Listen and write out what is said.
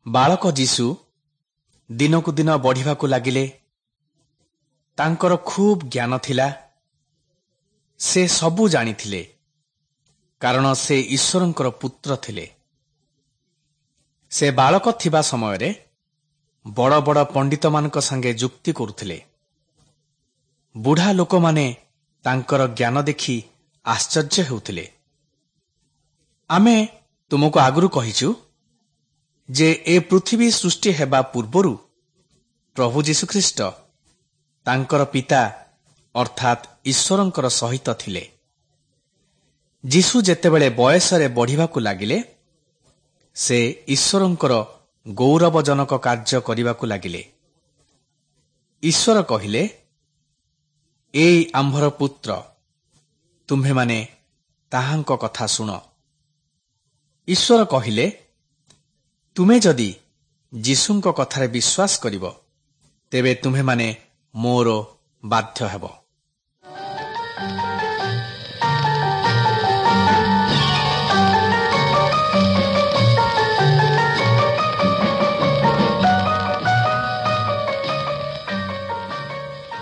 ବାଳକ ଯୀଶୁ ଦିନକୁ ଦିନ ବଢ଼ିବାକୁ ଲାଗିଲେ। ତାଙ୍କର ଖୁବ୍ ଜ୍ଞାନ ଥିଲା। ସେ ସବୁ ଜାଣିଥିଲେ, କାରଣ ସେ ଈଶ୍ୱରଙ୍କର ପୁତ୍ର ଥିଲେ। ସେ ବାଳକ ଥିବା ସମୟରେ ବଡ଼ ବଡ଼ ପଣ୍ଡିତମାନଙ୍କ ସାଙ୍ଗେ ଯୁକ୍ତି କରୁଥିଲେ। ବୁଢ଼ା ଲୋକମାନେ ତାଙ୍କର ଜ୍ଞାନ ଦେଖି ଆଶ୍ଚର୍ଯ୍ୟ ହେଉଥିଲେ। ଆମେ ତୁମକୁ ଆଗରୁ କହିଛୁ ଯେ ଏ ପୃଥିବୀ ସୃଷ୍ଟି ହେବା ପୂର୍ବରୁ ପ୍ରଭୁ ଯୀଶୁଖ୍ରୀଷ୍ଟ ତାଙ୍କର ପିତା ଅର୍ଥାତ୍ ଈଶ୍ୱରଙ୍କର ସହିତ ଥିଲେ। ଯୀଶୁ ଯେତେବେଳେ ବୟସରେ ବଢ଼ିବାକୁ ଲାଗିଲେ, ସେ ଈଶ୍ୱରଙ୍କର ଗୌରବଜନକ କାର୍ଯ୍ୟ କରିବାକୁ ଲାଗିଲେ। ଈଶ୍ୱର କହିଲେ, ଏଇ ଆମ୍ଭର ପୁତ୍ର, ତୁମ୍ଭେମାନେ ତାହାଙ୍କ କଥା ଶୁଣ। ଈଶ୍ୱର କହିଲେ, ତୁମେ ଯଦି ଯୀଶୁଙ୍କ କଥାରେ ବିଶ୍ୱାସ କରିବ, ତେବେ ତୁମ୍ଭେମାନେ ମୋର ବାଧ୍ୟ ହେବ।